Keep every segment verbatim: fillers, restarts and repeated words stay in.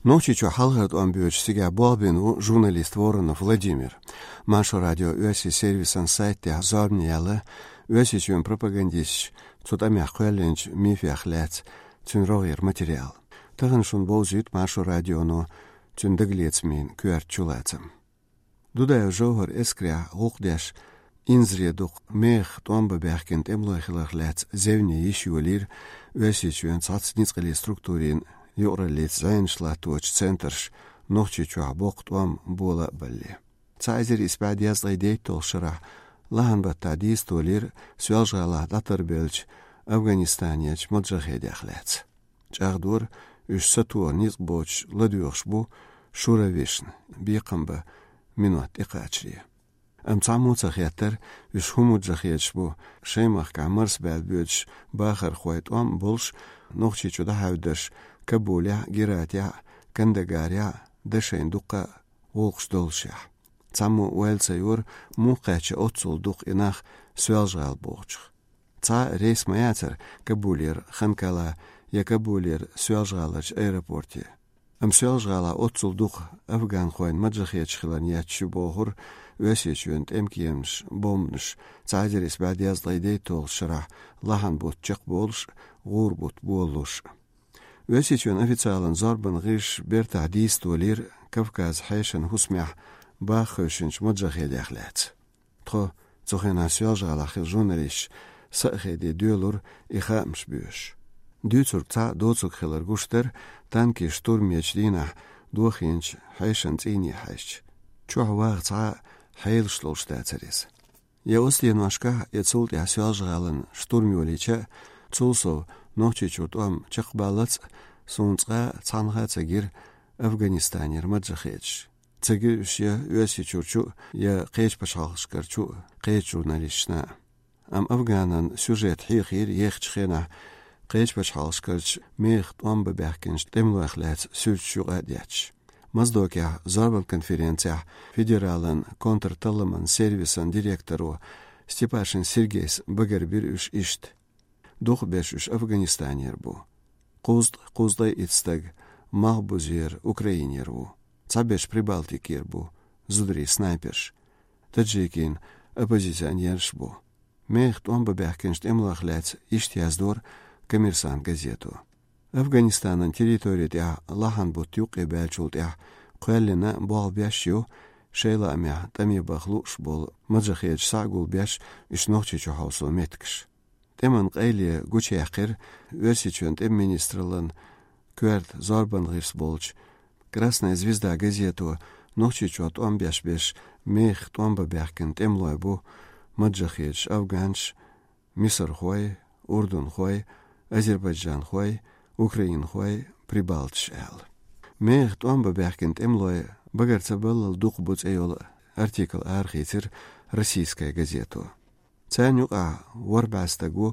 Нохчийчу хьалхара тӀом боьдучу цигахь болх бина ву журналист Воронов Владимир. Маршо радио оьрсийн сервисан сайт тӀехь зорбане яьлла Оьрсийчоьнан пропагандисташа цу тӀамехь кхоьллинчу мифех лаьцна цуьнан рогӀера материал. Тахана шуна бовзуьйту Маршо радионо цуьнан дагалецамийн коьрта чулацам. Дудаев ЖовхӀар эскарехь гӀуллакх деш, инзаре дукха мехах тӀом бан баьхкина тӀемалой хиларх лаьцна зевне йиш йолийра Оьрсийчоьнан цхьацца ницкъаллин структурийн юкъараллица зӀенаш латточу центраш Нохчийчохь боккха тӀом бола а балле. Цхьа эзар исс бӀе дезткъе дейтталгӀачу шарахь лахьан баттахь дийца толийра Соьлжа-ГӀалахь дӀатарбеллачу Афганистанерчу маджахедех лаьцна. ЧӀагӀдора, уьш сатоха ницкъ боцуш ладоьгӀуш бу шура вешна, бекхам бан минот тӀекхачаре. Амма цхьаммо ца хеттара, уьш хӀун маджахедаш бу, шайн махкахь марсабаьлла боьдуш бахархой тӀом а болуш, Нохчийчу дӀахьаьвдарш Кабулехь а, Гератехь а, Кандагарехь а, дашайна дуккха а гӀуллакхаш доллушехь. Цхьаммо ойла ца йора, муха кхаьчна оццул дукха и нах Соьлжа-ГӀала бохучух. Цхьа а рейс ма яцара Кабулера Ханкала я Кабулера Соьлжа-ГӀаларчу аэропорте. Амма Соьлжа-ГӀалахь оццул дукха афганхойн маджахедаш хиларна етташ ю бохура Оьрсийчоьнан тӀемкеманаш бомбанаш цхьа эзар исс бӀе дезткъе дейтталгӀачу шарахь лахьан бутт чекхболуш, гӀура бутт болалуш. Оьрсийчоьнан официалан зорбан гӀирсаша бертахь дийца толийра Кавказан хьешан хӀусамехь баха хевшинчу маджахедех лаьцна. Тхо, цу хенахь Соьлжа-ГӀалахь хилла журналисташ, са а хеде доьлура и хаамаш боьшуш. Дуьйцург цхьа а доцург хилар гуш дара танкийн штурмечу дийнахь дохийначу хьешан цӀийне хьаьжча. Чохь ваха цхьа а хьелаш долуш дацара иза. Я оцу деношкахь, я цул тӀаьхьа Соьлжа-ГӀалин штурм йолийча а, цул сов Нохчийчуьра тӀом чекхбаллалц а, суна цкъа а цхьанхьа а ца гира Афганистанера маджахедаш. Ца гира уьш я Оьрсийчуьрчу а, я кхечу пачхьалкхашкарчу а кхечу журналисташна а. Амма афганан сюжет хьехийра ехачу хенахь кхечу пачхьалкхашкарчу мехах тӀом бан баьхкинчу тӀемалойх лаьцна суьрташ юкъа а детташ. Моздокехь зорбан конференцехь федералан контрталламан сервисан директоро Степашин Сергейс багарбира уьш иштта. Дукхахберш уьш Афганистанера бу. Кхузткъа, кхузткъе итт стаг Малхбузера, Украинера ву. Цхьаберш Прибалтикера бу, зударий снайперш. Таджикийн оппозиционераш бу. Мехах тӀом бан баьхкинчу тӀемалойх лаьцна иштта яздора «Коммерсант» газето. Афганистанан территори тӀехь лахьан бутт юккъе баьллачул тӀаьхьа кхоьллина болх беш ю шайн лаамехь тӀаме баха лууш болу маджахедаш схьа а гулбеш уьш Нохчийчу хьовсо меттигаш. ТӀеман къайле гучуяьккхира Оьрсийчоьнан тӀеман министраллан коьрта зорбан гӀирс болчу «Красная звезда» газето Нохчийчохь тӀом беш берш мехах тӀом бан баьхкина тӀемалой бу: маджахедаш афганаш, мисархой, урдунхой, азербайджанхой, украинхой, прибалташ аьлла. Мехах тӀом бан баьхкина тӀемалой багар ца баллал дукха бу цӀе йолу артикл арахийцира «Российская газето». Царна юкъахь ворхӀ бӀе стаг ву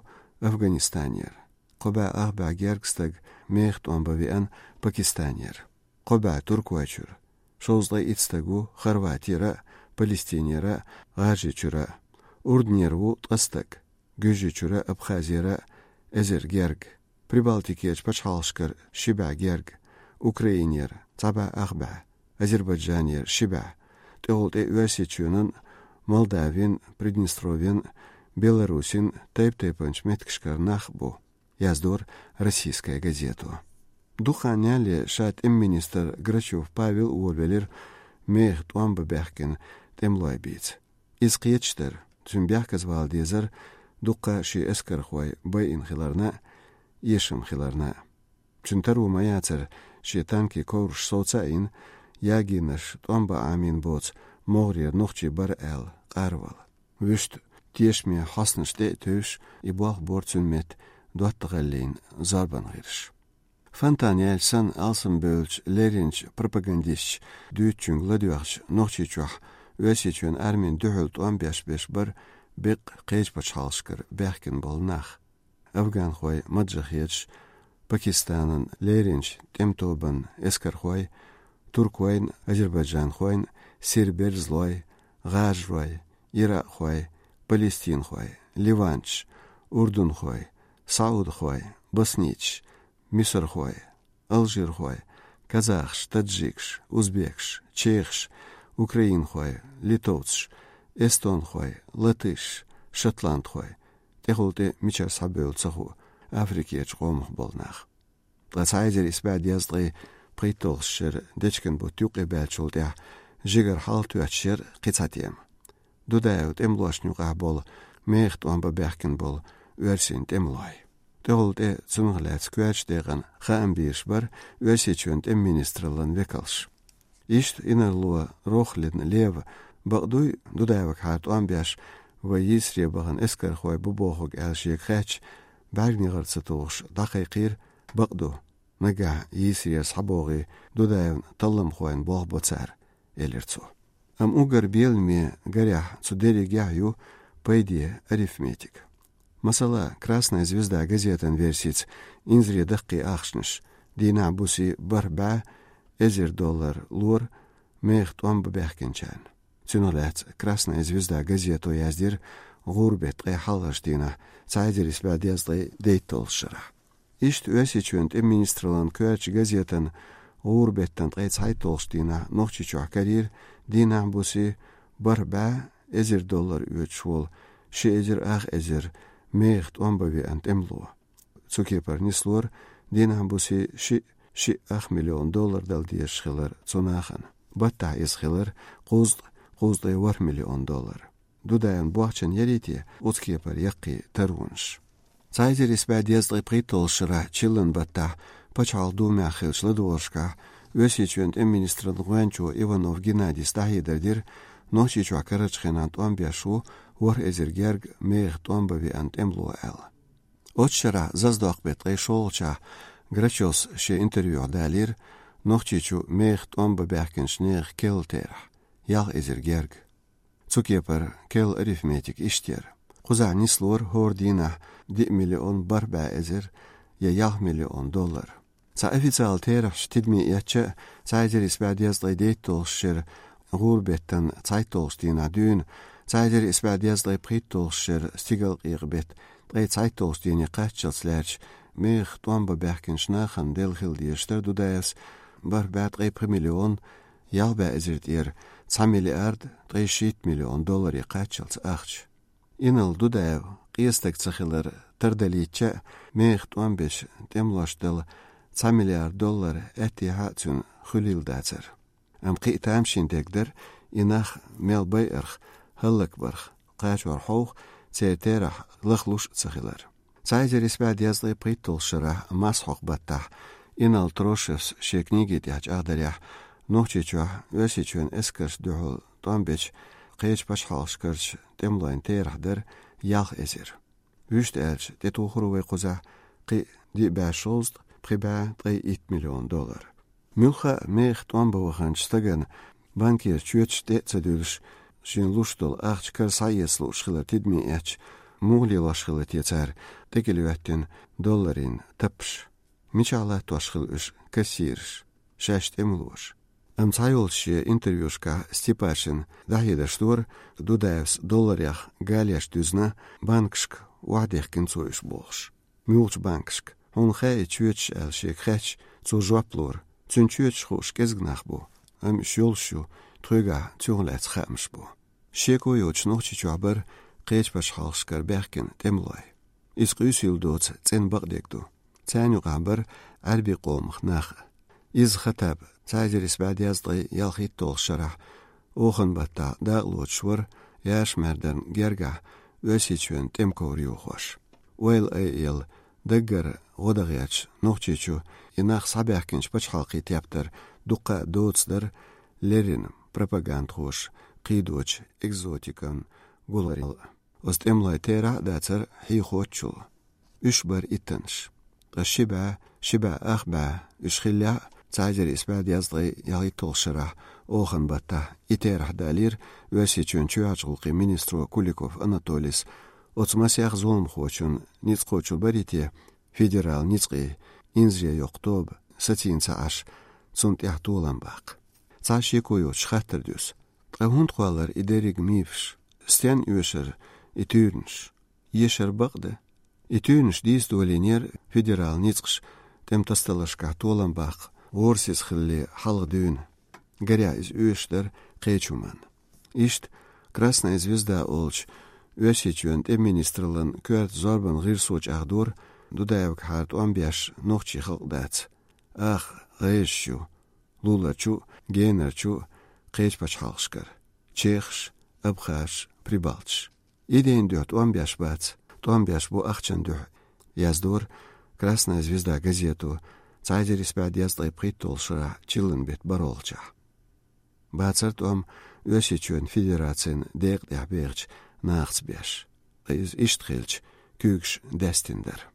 Афганистанера, кхо бӀе ах бӀе герга стаг мехах тӀом бан веана Пакистанера, кхо бӀе Туркойчуьра, шовзткъе итт стаг ву Хорватера а, Палестинера а, ГӀажарийчуьра а, Урдунера ву ткъа стаг, Гуьржийчуьра а, Абхазера а эзар герга, Прибалтикерчу пачхьалкхашкара ши бӀе герга, Украинера цхьа бӀе ах бӀе, Азербайджанера ши бӀе, тӀехула тӀе Оьрсийчоьнан, Молдавин, Приднестровьен, Беларусин тайп-тайпанчу меттигашкара нах бу, яздора «Российская газето». Дукха хан ялале ша тӀеман министр Грачев Павел а волавелира мехах тӀом бан баьхкина тӀемалой бийца. Иза кхеташ дара, цуьнан бехказавала дезара дуккха а шен эскархой байина хиларна а, эшам хиларна а. Цуьнан таро ма яцара шен танкийн ковраш совца а йина, ягийнарш тӀом бан Ӏамийна боцу могӀарера нохчий бара аьлла къарвала. Вуьшта тешаме хьостанаш тӀе а тевжаш, и болх бора цуьнан метта доттагӀаллин зорбан гӀирсаша. Фонтан яьлча санна, алсам бевллачу лерринчу пропагандисташа дуьйцучуьнга ладоьгӀча, Нохчийчохь Оьрсийчоьнан армин дуьхьал тӀом беш берш бара беккъа кхечу пачхьалкхашкара баьхкина болу нах. Афганхой, маджахедаш, Пакистанан лерринчу тӀеман тобанан эскархой, туркойн, азербайджанхойн, сир-берзалой, гӀажарой, иракъхой, палестинхой, ливанцаш, урдунхой, саудхой, боснийцаш, мисархой, алжирхой, казахаш, таджикаш, узбекаш, чехаш, украинхой, литовцаш, эстонхой, латышаш, шотландхой, тӀехула тӀе мичара схьабевлла ца хуу, Африкерчу къомах болу нах. Ткъа цхьа эзар исс бӀе дезткъе пхийтталгӀачу шеран дечкен бутт юккъе баьллачул тӀаьхьа жигара хьалатоьттуш яра кхин цхьа тема. Дудаевн тӀемалошна юкъахь болу мехах тӀом бан баьхкина болу оьрсийн тӀемалой. ТӀехула тӀе цунах лаьцна коьртачу декъана хаам бийраш бара Оьрсийчоьнан тӀеман министраллан векалш. Иштта инарло Рохлин Лева, бакъ дуй, Дудаевгахьара тӀом беш, вай йийсаре бахана эскархой бу бохург аьлла шега хаьттича, бӀаьрганегӀар ца тухуш дӀакхайкхийра: «Бакъ ду, нагахь йийсарера схьабогӀий, Дудаевн талламхойн болх бо цара», — элира цо. Амма уггар беламе гарехь цу дерригехь ю пайде арифметика. Масала, «Красная звезда» газетан версица, инзаре даккхий ахчанаш: дийнахь-буси бархӀ бӀе эзар доллар лора мехах тӀом бан баьхкинчарна. Цунах лаьцна «Красная звезда» газето яздира гӀуран беттан ткъе хьалхарчу дийнахь, цхьа эзар исс бӀе дезткъе дейтталгӀачу шарахь. Иштта Оьрсийчоьнан тӀеман министраллан коьртачу газетана гӀуран беттан ткъе цхьайтталгӀачу дийнахь Нохчийчохь карийра дийнахь-буси бархӀ бӀе эзар доллар оьцуш волу ши эзар ах эзар мехах тӀом бан веана тӀемало. Цу кепара нислора дийнахь-буси шиъ, шиъ ах миллион доллар дала дезаш хилар цу нахана. Баттахь иза хилар кхузткъа, кхузткъе ворхӀ миллион доллар. Дудаевн бохчан ярий те оцу кепара яккхий таронаш? Цхьа эзар исс бӀе дезткъе пхийтталгӀачу шарахь чиллан баттахь Пачхьалкхан Думехь хиллачу ладогӀаршкахь Оьрсийчоьнан тӀеман министраллан гӀоьнчо Иванов Геннадис дӀахьедар дира Нохчийчохь карарчу хенахь тӀом беш ву ворхӀ эзар герга мехах тӀом бан веана тӀемало аьлла. Оцу шарахь зазадоккху беттан ткъе шолгӀачохь Грачевс шен интервьюхь далийра Нохчийчу мехах тӀом бан баьхкинчу нехан керла терахь: ялх эзар герга. Цу кепара керла арифметика иштта яра: кхузахь нислора хӀора дийнахь диъ миллион бархӀ бӀе эзар я ялх миллион доллар. Цхьа официалан терахьаш тидаме эцча а, цхьа эзар исс бӀе дезткъе дейтталгӀачу шеран гӀуран беттан цхьайтталгӀачу дийнахь дуьйна, цхьа эзар исс бӀе дезткъе пхийтталгӀачу шеран стигалкъекъа беттан ткъе цхьайтталгӀачу дийне кхаччалц лаьрча, мехах тӀом бан баьхкинчу нахана делла хила дезаш дара Дудаевс бархӀ бӀе ткъе пхи миллион ялх бӀе эзар тӀера цхьа миллиард ткъе шийтта миллион долларе кхаччалц ахча. Инарла Дудаев къен стаг ца хилар тардалийтича а, мехах тӀом беш тӀемалошна дала цхьа миллиард доллар аьттехьа а цуьнан хуьлийла дацара. Амма кхин а тамашийна дерг дара и нах мел байарх, хӀаллакбарх, кхачор хьовха, церан терахь лахлуш а ца хилар. Цхьа эзар исс бӀе дезткъе пхийтталгӀачу шарахь масхьокху баттахь Инарла Трошевс шен книги тӀехь чӀагӀдарехь, Нохчийчохь Оьрсийчоьнан эскаршна дуьхьал тӀом бечу кхечу пачхьалкхашкарчу тӀемалойн терахь дара ялх эзар. Вуьшта аьлча, тӀетухур ву вай кхузахь кхин а диъ бӀе шовзткъа, пхи бӀе ткъе итт миллион доллар. Муьлхха а мехах тӀом бан ваханчу стагана банкера чоьташ тӀе а ца дуьллуш, шена луш долу ахча кара схьаэца лууш хилар тидаме эцча, муха лелош хилла те цара тӀекӀел йоьттина долларийн таппаш? Мичахь латтош хилла уьш кассираш, шаьш тӀемалоша? Амма цхьайолчу шен интервьюшкахь Степашина дӀахьедарш дора, Дудаевс долларех галеш дуьзна, банкашка охьадехкина цо уьш бохуш. Муьлхачу банкашка? Хьуна хаьий чоьташ аьлла шега хаьттича, цо жоп лора: цуьнан чоьташ хууш кӀезиг нах бу, амма уьш йолуш ю, тхоьгахь цунах лаьцна хаамаш бу. Шеко йоцуш Нохчийчохь бара кхечу пачхьалкхашкара баьхкина тӀемалой. Иза къуьйсийла доцу цӀена бакъдерг ду. Царна юкъахь бара Ӏаьрбийн къомах нах а. Иза Хаттаб цхьа эзар исс бӀе дезткъе ялхитталгӀачу шарахь, оханан баттахь дакъалоцуш вара Яшмарданан гергахь Оьрсийчоьнан тӀеман ковра йохош. Ойла айъелла, даггара гӀо дан гӀерташ Нохчийчу и нах схьабаьхкинчу пачхьалкхийн тептар дуккха а доцу дара леррина пропагандхоша кхийдочу экзотикан гуларел. Оцу тӀемалойн терахь а дацара хьехоччул. Уьш бара иттанаш. Ткъа ши бӀе, ши бӀе ах бӀе уьш хиллехь а, цхьа эзар исс бӀе дезткъе ялхитталгӀачу шарахь, оханан баттахь, и терахь далийра Оьрсийчоьнан чоьхьарчу гӀуллакхийн министро Куликов Анатолис, оцу масех зуламхочун ницкъ кхочур барий те федералан ницкъийн инзаре йоккху тоба, сацийна ца Ӏаш, цунна тӀехь толам баккха. Цхьа шеко йоцуш хаттар дуьсу: ткъа хӀунда кхоллар и дерриг мифаш? Стенна оьшура и туьйранаш? Ешар бакъ ду. И туьйранаш дийца долийнера федералан ницкъаша тӀеман тасадаларшкахь толам баккха ворсиз хилли хьалха дуьйна. Гарехь, иза оьшуш дара кхечу хӀуманна. Иштта «Красная звезда» олучу Оьрсийчоьнан тӀеман министраллан коьрта зорбанан гӀирсо чӀагӀдора, Дудаевгахьара тӀом беш нохчийн халкъ дац. Аха, гӀайраш ю, луларчу а, генарчу а кхечу пачхьалкхашкара: чехаш, абхазаш, прибалташ. Идейн дуьхьа тӀом беш бац, тӀом беш бу ахчан дуьхьа, яздора «Красная звезда» газето цхьа эзар исс бӀе дезткъе пхийтталгӀа шарахь чиллан беттан бархӀолгӀачохь. Бацара тӀом Оьрсийчоьнан Федерацин декъа тӀехь бехачу нахаца беш. Ткъа иза иштта хилча, куьйгаш даьстина дара.